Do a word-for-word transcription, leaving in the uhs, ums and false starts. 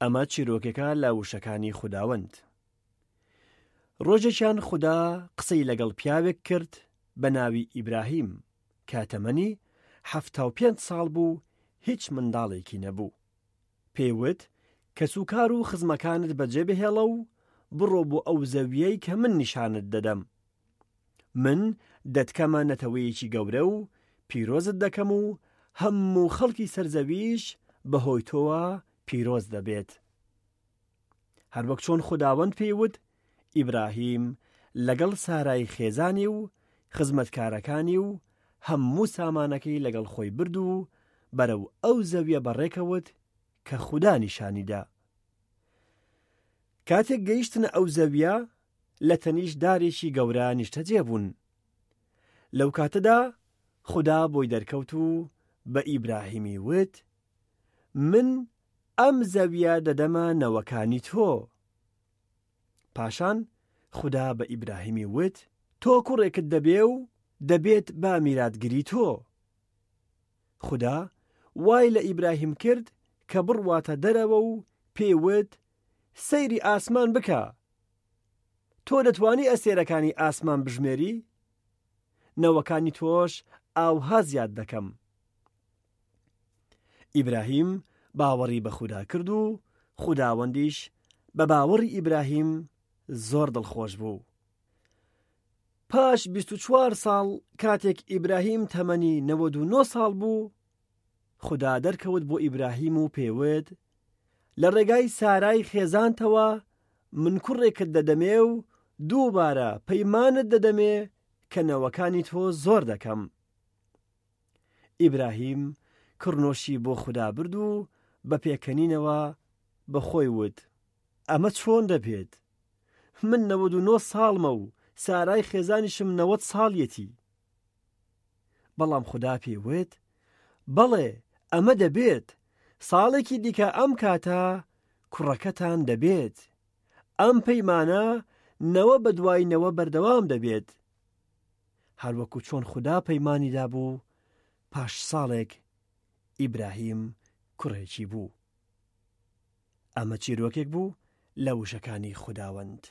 ئەمە چیرۆکێکە لە وشەکانی خوداوەند. ڕۆژێکیان خودا قسەی لەگەڵ پیاوێک کرد بە ناوی ئیبراهیم کە تەمەنی حەفتا و پێنج ساڵ بوو، هیچ منداڵێکی نەبوو. پێی وت، کەسوکار و خزمەکانت بەجێ بهێڵە و بڕۆ بۆ ئەو زەویەی کە من نیشانت دەدەم. من دەتکەمە نەتەوەیەکی گەورە و پیرۆزت دەکەم و هەموو خەڵکی سەرزەویش بەهۆی تۆوە پیرۆز دەبێت. هەروەک چۆن خوداوەند پێی وت، ئیبراهیم لەگەڵ سارای خێزانی و خزمەتکارەکانی و هەموو سامانەکەی لەگەڵ خۆی برد و بەرەو ئەو زەویە بەڕێکەوت کە خودا نیشانی دا. کاتێک گەیشتنە ئەو زەویە، لە تەنیشت دارێکی گەورە نیشتەجێ بوون. لەو کاتەدا خودا بۆی دەرکەوت و بە ئیبراهیمی وت، من ئەم زەویە دەدەمە نەوەکانی تۆ. پاشان خودا بە ئیبراهیمی وت، تۆ کوڕێکت دەبێ و دەبێت بە میراتگری تۆ. خودا وای لە ئیبراهیم کرد کە بڕواتە دەرەوە و پێی وت، سەیری ئاسمان بکە. تۆ دەتوانی ئەستێرەکانی ئاسمان بژمێری؟ نەوەکانی تۆش ئاوها زیاد دەکەم. ئیبراهیم باوەڕی بە خودا کرد و خوداوەندیش بە باوەڕی ئیبراهیم زۆر دڵخۆش بوو. پاش بیست و چوار ساڵ کاتێک ئیبراهیم تەمەنی نەوەد و نۆ ساڵ بوو، خودا دەرکەوت بۆ ئیبراهیم و پێوت، لە ڕێگای سارای خێزانتەوە من کوڕێکت دەدەمێ و دووبارە پەیمانت دەدەمێ کە نەوەکانی تۆ زۆر دەکەم. ئیبراهیم کڕنۆشی بۆ خودا برد و بە پێکەنینەوە بە خۆی وت، ئەمە چۆن دەبێت؟ من نەوەد و نۆ ساڵمە و سارای خێزانیشم نەوەد ساڵیەتی. بەڵام خودا پێی وت، بەڵێ ئەمە دەبێت، ساڵێکی دیکە ئەم کاتە کوڕەکەتان دەبێت. ئەم پەیمانە نەوە بە دوای نەوە بەردەوام دەبێت. هەروەکو چۆن خودا پەیمانی دابوو، پاش ساڵێک ئیبراهیم کوڕێکی بوو. ئەمە چیرۆکێک بوو لە وشەکانی خوداوەند.